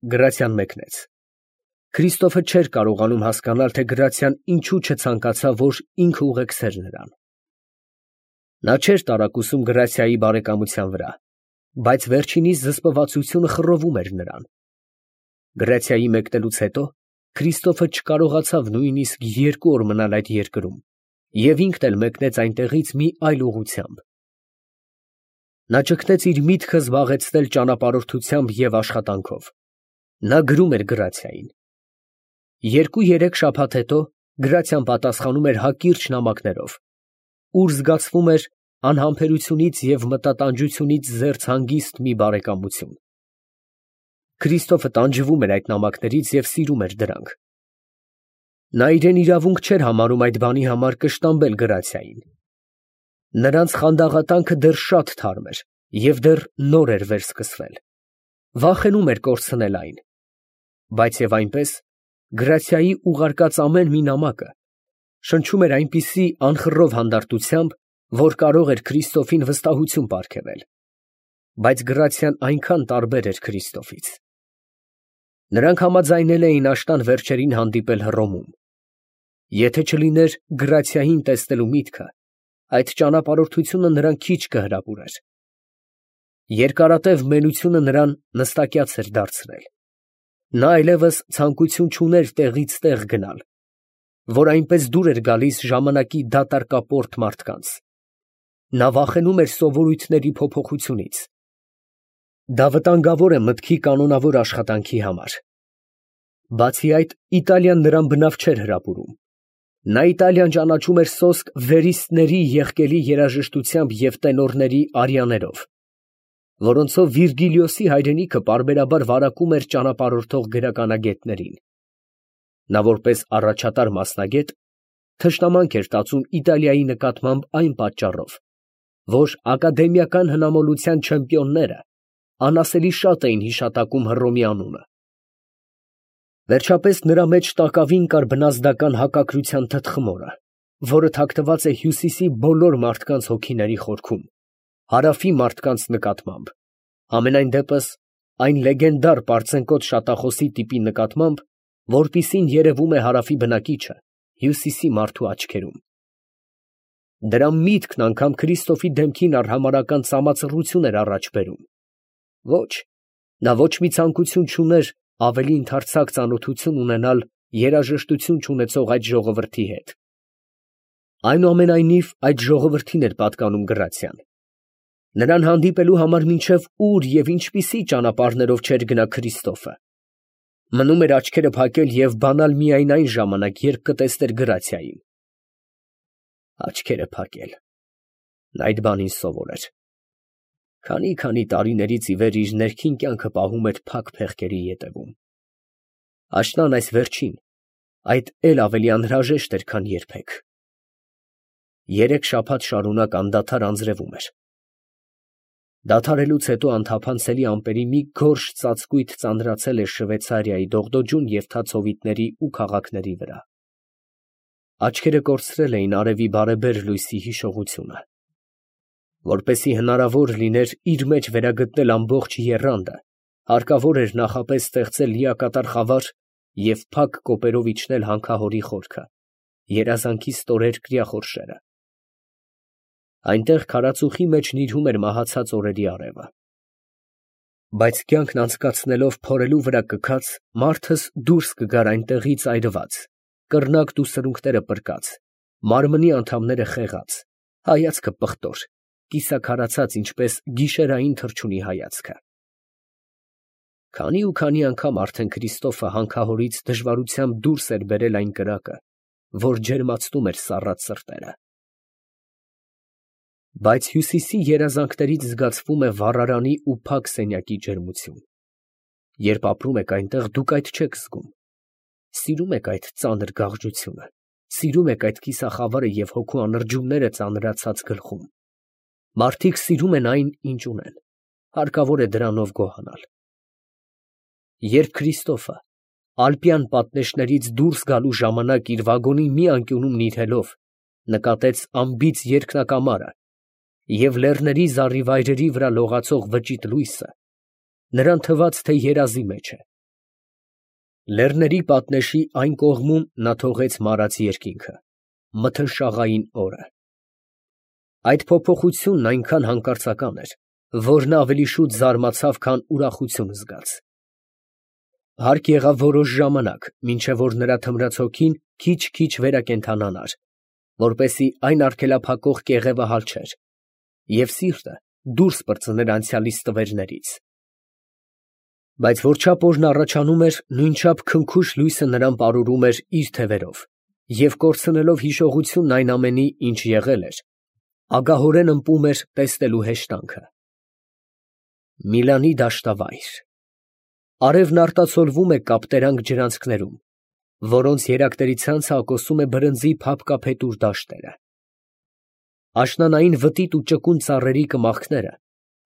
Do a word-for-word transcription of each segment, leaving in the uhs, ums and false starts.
Գրացիան մեկնեց։ Քրիստոֆը չէր կարողանում հասկանալ, թե Գրացիան ինչու չցանկացավ, որ ինքը ուղեկցեր նրան։ Նա չէր տարակուսում Գրացիայի բարեկամության վրա, բայց վերջինիս զսպվածությունը խռովում էր նրան։ Գրացիայի մեկնելուց հետո Քրիստոֆը չկարողացավ նույնիսկ երկու օր մնալ այդ երկրում և ինքն էլ մեկնեց այնտեղից մի այլ ուղղությամբ։ Նա ճգնեց իր միտքը զբաղեցնել ճանապարհորդությամբ և աշխատանքով։ Նա գրում էր Գրացիային։ Երկու֊երեք շաբաթ հետո Գրացիան պատասխանում էր հակիրճ նամակներով, ուր զգացվում էր անհամբերությունից և մտատանջությունից զերծ հանգիստ մի բարեկամություն։ Քրիստոֆը տանջվում էր այդ նամակներից և սիրում էր դրանք։ Նա իրեն իրավունք չէր համարում այդ բանի համար կշտամբել Գրացիային։ Նրանց խանդաղատանքը դեռ շատ թարմ էր և դեռ նոր էր վերսկսվել։ Վախենում էր կորցնել այն։ Բայց և այնպես, Գրացիայի ուղարկած ամեն մի նամակը շնչում էր այնպիսի անխռով հանդարտությամբ, որ կարող էր Քրիստոֆին վստահություն պարգևել։ Բայց Գրացիան այնքան տարբեր էր Քրիստոֆից։ Նրանք համաձայնել էին աշնան վերջերին հանդիպել Հռոմում։ Եթե չլիներ Գրացիային տեսնելու միտքը, այդ ճանապարհորդությունը նրան քիչ կհրապուրեր։ Երկարատև մենությունը նրան նստակյաց էր դարձրել։ Նա այլևս ցանկություն չուներ տեղից տեղ գնալ, որ այնպես դուր էր գալիս ժամանակի դատարկապորտ մարդկանց։ Նա վախենում էր սովորույթների փոփոխությունից։ Դա վտանգավոր է մտքի կանոնավոր աշխատանքի համար։ Բացի այդ, Իտալիան նրան բնավ չէր հրապուրում։ Նա Իտալիան ճանաչում էր սոսկ վերիստների եղկելի երաժշտությամբ և տենորների արիաներով, որոնցով Վիրգիլիոսի հայրենիքը պարբերաբար վարակում էր ճանապարհորդող գրականագետներին։ Նա որպես առաջատար մասնագետ թշնամանք էր տածում Իտալիայի նկատմամբ այն պատճառով, որ ակադեմիական հնամոլության չեմպիոնները անասելի շատ էին հիշատակում Հռոմի անունը։ Վերջապես նրա մեջ տակավին կար բնազդական հակակրության թթխմորը, որը թաքնված է Հյուսիսի բոլոր մարդկանց հոգիների խորքում, Հարավի մարդկանց նկատմամբ, համենայն դեպս այն լեգենդար պարծենկոտ շատախոսի տիպի նկատմամբ, որպիսին երևում է Հարավի բնակիչը Հյուսիսի մարդու աչքերում։ Դրա միտքն անգամ Քրիստոֆի դեմքին արհամարհական ծամածռություն էր առաջ բերում։ Ոչ, նա ոչ մի ցանկություն չուներ ավելի ընդարձակ ծանոթություն ունենալ երաժշտություն չունեցող այդ ժողովրդի հետ։ Այնուամենայնիվ, այդ ժողովրդին էր պատկանում Գրացիան։ Նրան հանդիպելու համար մինչև ուր և ինչպիսի ճանապարհներով չէր գնա Քրիստոֆը։ Մնում էր աչքերը փակել և բանալ միայն այն ժամանակ, երբ կտեսներ Գրացիային։ Աչքերը փակել։ Նա այդ բանին սովոր էր։ Քանի֊քանի տարիներից ի վեր իր ներքին կյանքը պահում էր փակ փեղկերի ետևում։ Աշնան այս վերջին այդ էլ ավելի անհրաժեշտ էր, քան երբեք։ Երեք շաբաթ շարունակ անդադար անձրևում էր։ Դադարելուց հետո անթափանցելի ամպերի մի գորշ ծածկույթ ծանրացել էր Շվեյցարիայի դողդոջուն և թաց հովիտների ու քաղաքների վրա։ Աչքերը կորցրել էին արևի բարեբեր լույսի հիշողությունը։ Որպեսզի հնարավոր լիներ իր մեջ վերագտնել ամբողջ եռանդը, հարկավոր էր նախապես ստեղծել լիակատար խավար և փակ կոպերով իջնել հանքահորի խորքը, երազանքի ստորեր կրիախորշերը։ Այնտեղ քարածուխի մեջ նիրհում էր մահացած օրերի արևը։ Բայց կյանքն անցկացնելով փորելու վրա կքած, մարդս դուրս կգար այնտեղից այրված, կռնակտ ու սրունքները պրկած, մարմնի անդամները խեղած, հայացքը պղտոր, կիսաքարացած, ինչպես գիշերային թռչունի հայացքը։ Քանի ու քանի անգամ արդեն Քրիստոֆը հանքահորից դժվարությամբ դուրս էր բերել այն կրակը, որ ջերմացնում էր սառած սրտերը։ Բայց Հյուսիսի երազանքներից զգացվում է վառարանի ու փակ սենյակի ջերմություն։ Երբ ապրում եք այնտեղ, դուք այդ չեք զգում։ Սիրում եք այդ ծանր գաղջությունը, սիրում եք այդ կիսախավարը և հոգու անրջումները ծանրացած գլխում։ Մարդիկ սիրում են այն, ինչ ունեն, հարկավոր է դրանով գոհանալ։ Երբ Քրիստոֆը ալպյան պատնեշներից դուրս գալու ժամանակ իր վագոնի մի անկյունում նիրհելով նկատեց անբիծ երկնակամարը և լեռների զառիվայրերի վրա լողացող վճիտ լույսը, նրան թվաց, թե երազի մեջ է։ Լեռների պատնեշի այն կողմում նա թողեց մարած երկինքը, մթնշաղային օրը։ Այդ փոփոխությունն այնքան հանկարծական էր, որ նա ավելի շուտ զարմացավ, քան ուրախություն զգաց։ Հարկ եղավ որոշ ժամանակ, մինչև որ նրա թմրած հոգին քիչ-քիչ վերակենդանանար, որպեսզի այն արգելափակող կեղևը հալչեր, և սիրտը դուրս պրծներ անցյալի ստվերներից։ Բայց որչափ օրն առաջանում էր, նույնչափ քնքուշ լույսը նրան պարուրում էր իր թևերով, և կորցնելով հիշողությունն այն ամենի, ինչ եղել էր, ագահորեն ըմպում էր տեսնելու հեշտանքը։ Միլանի դաշտավայր։ Արևն արտացոլվում է կապտերանք ջրանցքներում, որոնց երակների ցանցը ակոսում է բրնձի փափկափետուր դաշտերը։ Աշնանային վտիտ ու ճկուն ծառերի կմախքները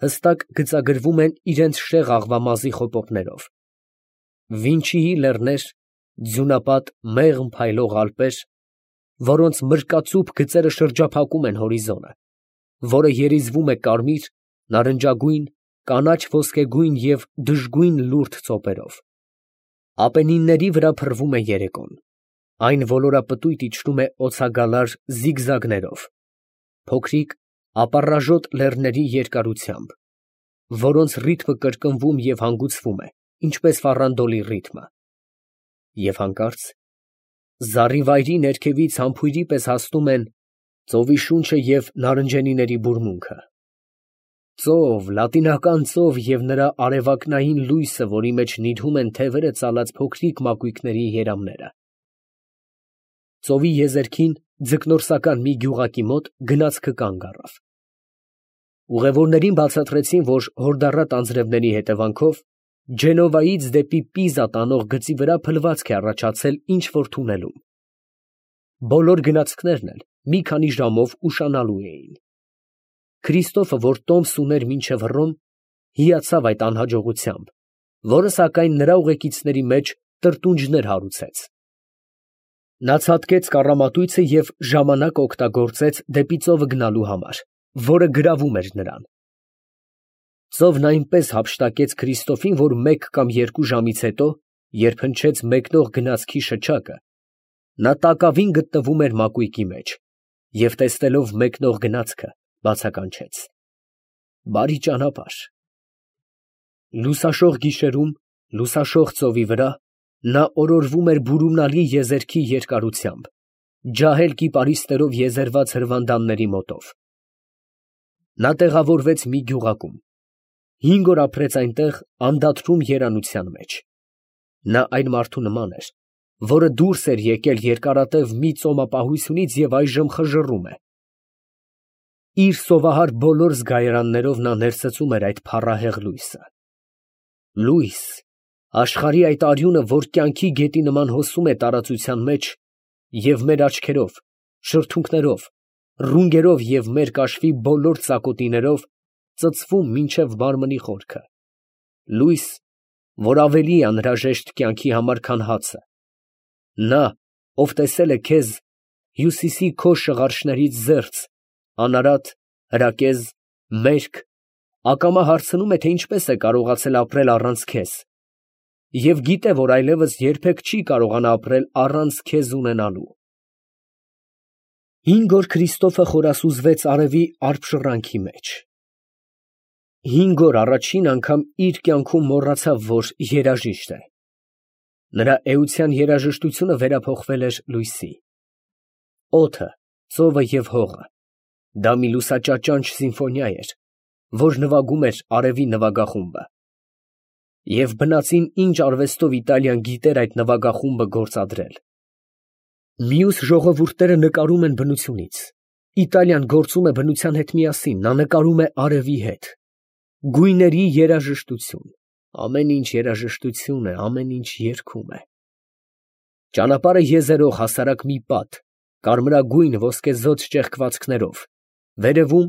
հստակ գծագրվում են իրենց շեղ աղվամազի խոպոպներով։ Վինչիի լեռներ, ձյունապատ մեղմ փայլող ալպեր, որոնց մրկածուփ գծերը շրջափակում են հորիզոնը, որը երիզվում է կարմիր, նարնջագույն, կանաչ ոսկեգույն և դժգույն լուրդ ծոպերով։ Ապենինների վրա փռվում է երեկոն, այն ոլորապտույտ իջնում է օձագալար զիգզագներով, փոքրիկ ապառաժոտ լեռների երկարությամբ, որոնց ռիթմը կրկնվում և հանգուցվում է, ինչպես ֆառանդոլի ռիթմը։ Եվ հանկարծ զառիվայրի ներքևից համբույրի պես հասնում են ծովի շունչը և նարնջենիների բուրմունքը։ Ծով, լատինական ծով և նրա արևակնային լույսը, որի մեջ նիրհում են թևերը ծալած փոքրիկ մակույկների երամները։ Ծովի եզերքին ձկնորսական մի գյուղակի մոտ գնացքը կանգ առավ։ Ուղևորներին բացատրեցին, որ հորդառատ անձրևների հետևանքով Ջենովայից դեպի Պիզա տանող գծի վրա փլվածք է առաջացել ինչ֊որ թունելում։ Բոլոր գնացքներն էլ մի քանի ժամով ուշանալու էին։ Քրիստոֆը, որ տոմս ուներ մինչև Հռոմ, հիացավ այդ անհաջողությամբ, որը, սակայն, նրա ուղեկիցների մեջ տրտունջներ հարուցեց։ Նա ցատկեց կառամատույցը և ժամանակ օգտագործեց դեպի ծովը գնալու համար, որը գրավում էր նրան։ Ծովն այնպես հափշտակեց Քրիստոֆին, որ մեկ կամ երկու ժամից հետո, երբ հնչեց մեկնող գնացքի շչակը, նա տակավին գտնվում էր մակույկի մեջ և, տեսնելով մեկնող գնացքը, բացականչեց. «Բարի ճանապարհ»։ Լուսաշող գիշերում, լուսաշող ծովի վրա նա օրորվում էր բուրումնալի եզերքի երկարությամբ, ջահել կիպարիսներով եզերված հրվանդանների մոտով։ Նա տեղավորվեց մի գյուղակում, հինգ օր ապրեց այնտեղ անդադրում երանության մեջ։ Նա այն մարդու նման էր, որը դուրս էր եկել երկարատև մի ծոմապահությունից և այժմ խժռում է։ Իր սովահար բոլոր զգայարաններով նա ներծծում էր այդ փառահեղ լույսը։ Լույս, աշխարհի այդ արյունը, որ կյանքի գետի նման հոսում է տարածության մեջ և մեր աչքերով, շրթունքներով, ռունգերով և մեր կաշվի բոլոր ծակոտիներով ծծվում մինչև մարմնի խորքը։ Լույս, որ ավելի է անհրաժեշտ կյանքի համար, քան հացը։ Նա, ով տեսել է քեզ հյուսիսի քո շղարշներից զերծ, անարատ, հրակեզ, մերկ, ակամա հարցնում է, թե ինչպես է կարողացել ապրել առանց քեզ և գիտե, որ այլևս երբեք չի կարողանա ապրել առանց քեզ ունենալու։ Հինգ օր Քրիստոֆը խորասուզվեց արևի արբշռանքի մեջ։ Հինգ օր առաջին անգամ իր կյանքում մոռացավ, որ երաժիշտ է։ Նրա էության երաժշտությունը վերափոխվել էր լույսի։ Օդը, ծովը և հողը, դա մի լուսաճաճանչ սիմֆոնիա էր, որ նվագում էր արևի նվագախումբը։ Եվ բնածին ինչ արվեստով Իտալիան գիտեր այդ նվագախումբը գործադրել։ Մյուս ժողովուրդները նկարում են բնությունից, Իտալիան գործում է բնության հետ միասին, նա նկարում է արևի հետ։ Գույների երաժշտություն, ամեն ինչ երաժշտություն է, ամեն ինչ երգում է։ Ճանապարհը եզերող հասարակ մի պատ, կարմրագույն ոսկեզօծ ճեղքվածքներով, վերևում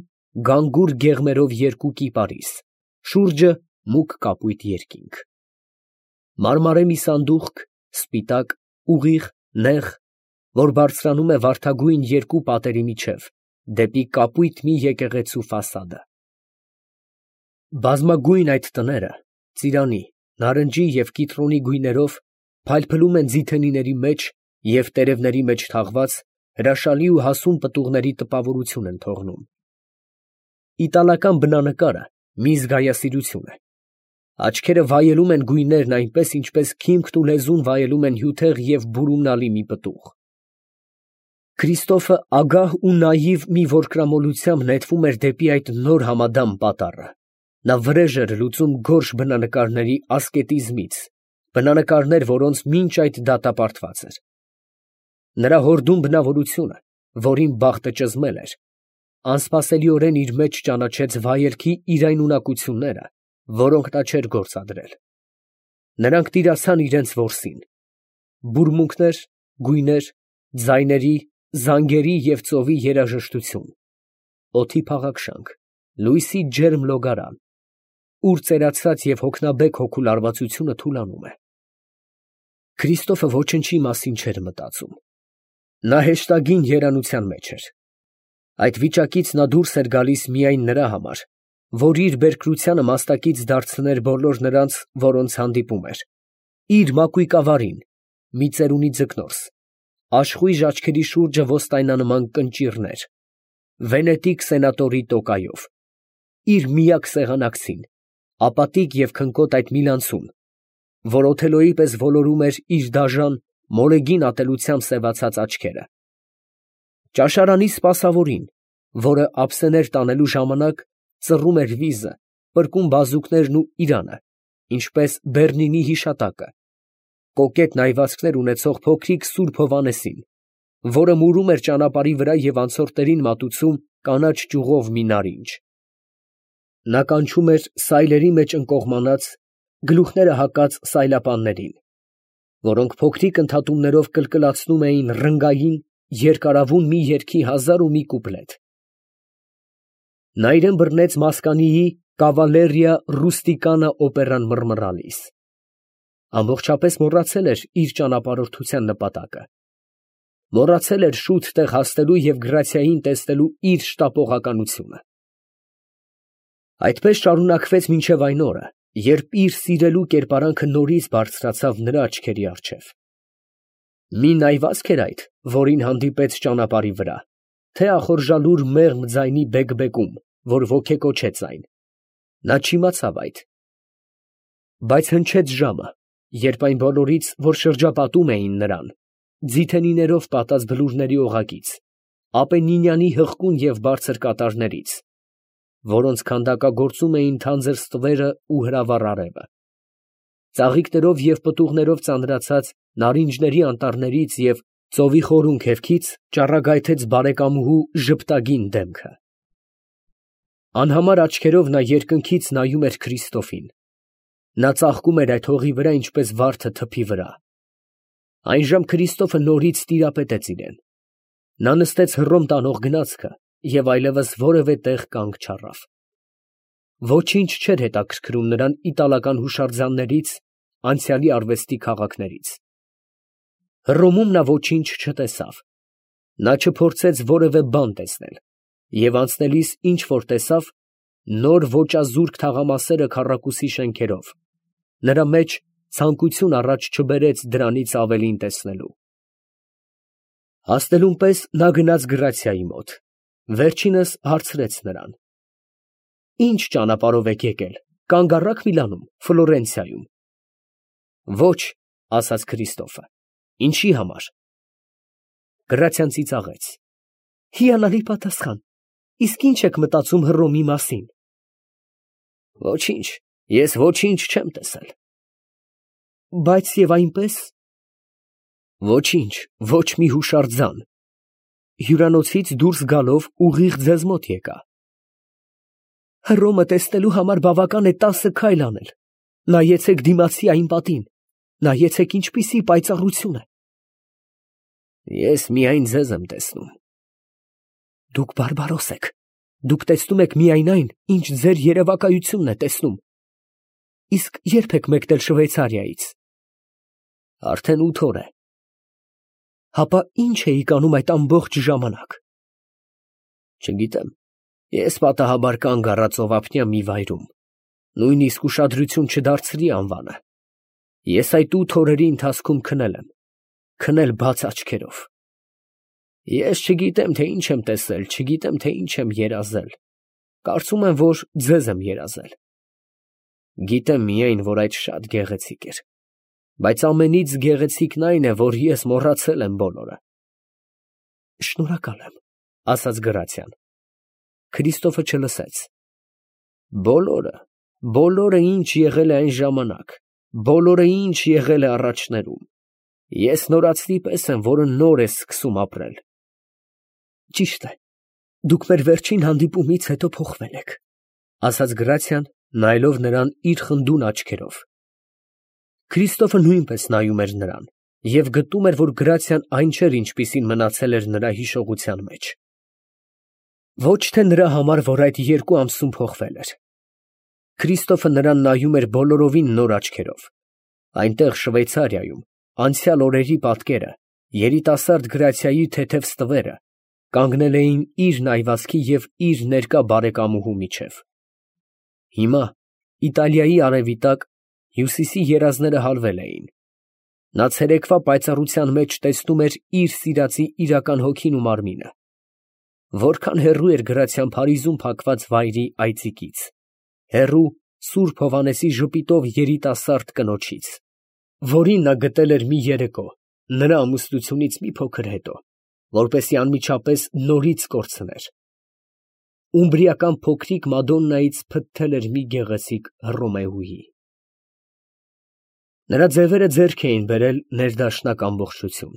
գանգուր գեղմերով երկու կիպարիս, շուրջը մուգ կապույտ երկինք։ Մարմարե մի սանդուղք, սպիտակ, ուղիղ, նեղ, որ բարձրանում է վարդագույն երկու պատերի միջև, դեպի կապույտ մի եկեղեցու ֆասադը։ Բազմագույն այդ տները ծիրանի, նարնջի և կիտրոնի գույներով փայլփլում են ձիթենիների մեջ և տերևների մեջ թաղված, հրաշալի ու հասուն պտուղների տպավորություն են թողնում։ Իտալական բնանկարը մի զգայասիրություն է։ Աչքերը վայելում են գույներն այնպես, ինչպես քիմքն ու լեզուն վայելում են հյութեղ և բուրումնալի մի պտուղ։ Քրիստոֆը ագահ ու նաիվ մի որկրամոլությամբ նետվում էր դեպի այդ նոր համադամ պատառը։ Նա վրեժ էր լուծում գորշ բնանկարների ասկետիզմից, բնանկարներ, որոնց մինչ այդ դատապարտված էր։ Նրա հորդում բնավորությունը, որին բախտը ճզմել էր, անսպասելիորեն իր մեջ ճանաչեց վայելքի իրայնունակությունները, որոնք նա չէր գործադրել։ Նրանք տիրացան իրենց որսին. բուրմունքներ, գույներ, ձայների, զանգերի և ծովի երաժշտություն, օդի փաղաքշանք, լույսի ջերմ լոգարան, ուր ծերացած և հոգնաբեկ հոգու լարվածությունը թուլանում է։ Քրիստոֆը ոչնչի մասին չէր մտածում։ Նա հեշտագին երանության մեջ էր։ Այդ վիճակից նա դուրս էր գալիս միայն նրա համար, որ իր բերկրությանը մաստակից դարձներ բոլոր նրանց, որոնց հանդիպում էր, իր մակույկավարին, մի ծերունի ձկնորս, աշխույժ աչքերի շուրջը ոստայնանման կնճիռներ, վենետիկ սենատորի տոկայով, իր միակ սեղանակցին, ապատիկ և քնկոտ այդ միլանցուն, որ Օթելոյի պես ոլորում էր իր դաժան, մոլեգին ատելությամբ սևացած աչքերը, ճաշարանի սպասավորին, որը ափսեներ տանելու ժամանակ ծռում էր վիզը, պրկում բազուկներն ու իրանը, ինչպես Բեռնինի հիշատակը, կոկետ նայվածքներ ունեցող փոքրիկ սուրբ Հովհաննեսին, որը մուրում էր ճանապարհի վրա և անցորդներին մատուցում կանաչ ճյուղով մի նարինջ։ Նա կանչում էր սայլերի մեջ ընկողմանած, գլուխները հակած սայլապաններին, որոնք փոքրիկ ընդհատումներով կլկլացնում էին ռնգային, երկարավուն մի երգի հազար ու մի կուպլետ։ Նա իրան բռնեց Մասկանիի «Կավալերիա Ռուստիկանա» օպերան մռմռալիս։ Ամբողջապես մոռացել էր իր ճանապարհորդության նպատակը։ Մոռացել էր շուտ տեղ հասնելու և Գրացիային տեսնելու իր շտապողականությունը։ Այդպես շարունակվեց մինչև այն օրը, երբ իր սիրելու կերպարանքը նորից բարձրացավ նրա աչքերի առջև։ Մի նայվածք էր այդ, որին հանդիպեց ճանապարհի վրա, թե ախորժալուր մեղմ ձայնի բեկբեկում, որ ոգեկոչեց այն։ Նա չիմացավ այդ։ Բայց հնչեց ժամը, երբ այն բոլորից, որ շրջապատում էին նրան, ձիթենիներով պատած բլուրների օղակից, Ապենինյանի հղկուն և բարձր կատարներից, որոնց քանդակագործում էին թանձր ստվերը ու հրավառ արևը, ծաղիկներով և պտուղներով ծանրացած նարինջների անտառներից և ծովի խորուն քևքից ճառագայթեց բարեկամուհու ժպտագին դեմքը։ Անհամար աչքերով նա երկնքից նայում էր Քրիստոֆին։ Նա ծաղկում էր այդ հողի վրա, ինչպես վարդը թփի վրա։ Այժմ Քրիստոֆը նորից տիրապետեց իրան։ Նա նստեց Հռոմ տանող գնացքը և այլևս որևէ տեղ կանգ չառավ։ Ոչինչ չէր հետաքրքրում նրան իտալական հուշարձաններից, անցյալի արվեստի քաղաքներից։ Հռոմում նա ոչինչ չտեսավ։ Նա չփորձեց որևէ բան տեսնել, և անցնելիս ինչ որ տեսավ, նոր ոճազուրկ թաղամասերը քառակուսի շենքերով, նրա մեջ ցանկություն առաջ չբերեց դրանից ավելին տեսնելու։ Հասնելուն պես նա գնաց Գրացիայի մոտ, վերջինս հարցրեց նրան. «Ի՞նչ ճանապարհով եք եկել, կանգ առա՞ք Միլանում, Ֆլորենցիայում»։ «Ոչ», ֊ ասաց Քրիստոֆը։ «Ինչի համար»։ Գրացիան ծիծաղեց. «Հիանալի պատասխան, իսկ ի՞նչ եք մտածում Հռոմի մասին»։ «Ոչինչ, ես ոչինչ չեմ տեսել»։ «Բայց և այնպես»։ «Ոչինչ, ոչ մի հուշարձան»։ «Հյուրանոցից դուրս գալով ուղիղ ձեզ մոտ եկա»։ «Հռոմը տեսնելու համար բավական է տասը քայլ անել։ Նայեցեք դիմացի այն պատին, նայեցեք ինչպիսի պայծառություն է»։ «Ես միայն ձեզ եմ տեսնում»։ «Դուք բարբարոս եք, դուք տեսնում եք միայն այն, ինչ ձեր երևակայությունն է տեսնում։ Իսկ ե՞րբ եք մեկնել Շվեյցարիայից»։ «Արդեն ութ օր է»։ «Հապա ի՞նչ էիք անում այդ ամբողջ ժամանակ»։ «Չգիտեմ, ես պատահաբար կանգ առա ծովափնյա մի վայրում, նույնիսկ ուշադրություն չդարձրի անվանը։ Ես այդ ութ օրերի ընթացքում քնել եմ, քնել բաց աչքերով։ Ես չգիտեմ, թե ինչ եմ տեսել, չգիտեմ, թե ինչ եմ երազել, կարծում եմ, որ ձեզ եմ երազել։ Գիտեմ միայն, որ այդ շատ գեղեցիկ էր, բայց ամենից գեղեցիկն այն է, որ ես մոռացել եմ բոլորը։ Շնորհակալ եմ, ասաց Գրացիան։ Քրիստոֆը չլսեց։ Բոլորը, բոլորը ինչ եղել է այն ժամանակ, բոլորը ինչ եղել է առաջներում, ես նորածնի պես եմ, որը նոր է սկսում ապրել։ Ճիշտ է, դուք մեր վերջին հանդիպումից հետո փոխվել եք, ասաց Գրացիան, նայելով նրան իր խնդուն աչքերով։ Քրիստոֆը նույնպես նայում էր նրան և գտնում էր, որ Գրացիան այն չէր, ինչպիսին մնացել էր նրա հիշողության մեջ։ Ոչ թե նրա համար, որ այդ երկու ամսում փոխվել էր։ Քրիստոֆը նրան նայում էր բոլորովին նոր աչքերով։ Այնտեղ Շվեյցարիայում անցյալ օրերի պատկերը, երիտասարդ Գրացիայի թեթև ստվերը կանգնել էին իր նայվածքի և իր ներկա բարեկամուհու միջև։ Հիմա Իտալիայի արևի տակ հյուսիսի երազները հալվել էին։ Նա ցերեկվա պայծառության մեջ տեսնում էր իր սիրածի իրական հոգին ու մարմինը։ Որքան հեռու էր Գրացիան Փարիզում փակված վայրի այծիկից, հեռու Սուրբ Հովհաննեսի ժպիտով երիտասարդ կնոջից, որին նա գտել էր մի երեկո, նրա ամուսնությունից մի փոքր հետո, որպեսզի անմիջապես նորից կորցներ։ Ումբրիական փոքրիկ Մադոննայից փտթել էր մի գեղեցիկ Հռոմեուհի։ Նրա ձևերը ձեռք էին բերել ներդաշնակ ամբողջություն,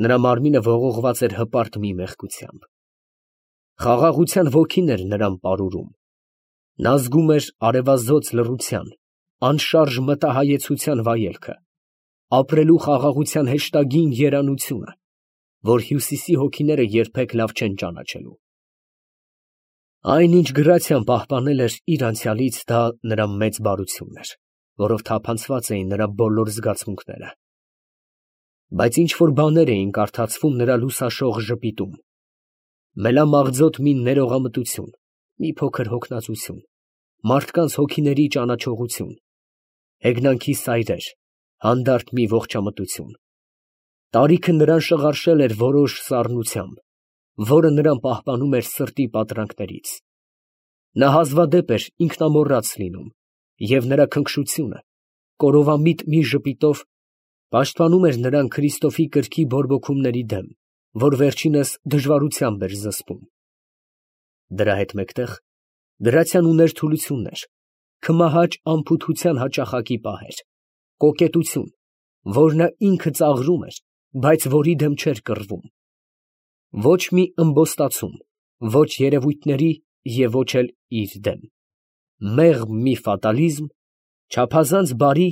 նրա մարմինը ողողված էր հպարտ մի մեղքությամբ։ Խաղաղության ոգին էր նրան պարուրում։ Նա զգում էր արևազոծ լռության, անշարժ մտահայեցության վայելքը, ապրելու խաղաղության հեշտագին երանությունը, որ հյուսիսի հոգիները երբեք լավ չեն ճանաչելու։ Այն, ինչ Գրացիան պահպանել էր իր անցյալից, դա նրա մեծ բարությունն էր, որով թափանցված էին նրա բոլոր զգացմունքները։ Բայց ինչ-որ բաներ էին կարդացվում նրա լուսաշող ժպիտում, մելամաղձոտ մի ներողամտություն, մի փոքր հոգնածություն, մարդկանց հոգիների ճանաչողություն, հեգնանքի սայրեր, հանդարտ մի ողջամտություն։ Տարիքը նրան շղարշել էր որոշ սառնությամբ, որը նրան պահպանում էր սրտի պատրանքներից։ Նա հազվադեպ էր ինքնամոռաց լինում, և նրա քնքշությունը, կորովամիտ մի ժպիտով, պաշտպանում էր նրան Քրիստոֆի կրքի բորբոքումների դեմ, որ վերջինս դժվարությամբ էր զսպում։ Դրա հետ մեկտեղ Գրացիան ուներ թուլություններ, քմահաճ անփութության հաճախակի պահեր, կոկետություն, որ նա ինքը ծաղրում էր, բայց որի դեմ չէր կռվում։ Ոչ մի ըմբոստացում, ոչ երևույթների և ոչ էլ իր դեմ։ Մեղմ մի ֆատալիզմ, չափազանց բարի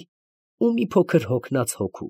ու մի փոքր հոգնած հոգու։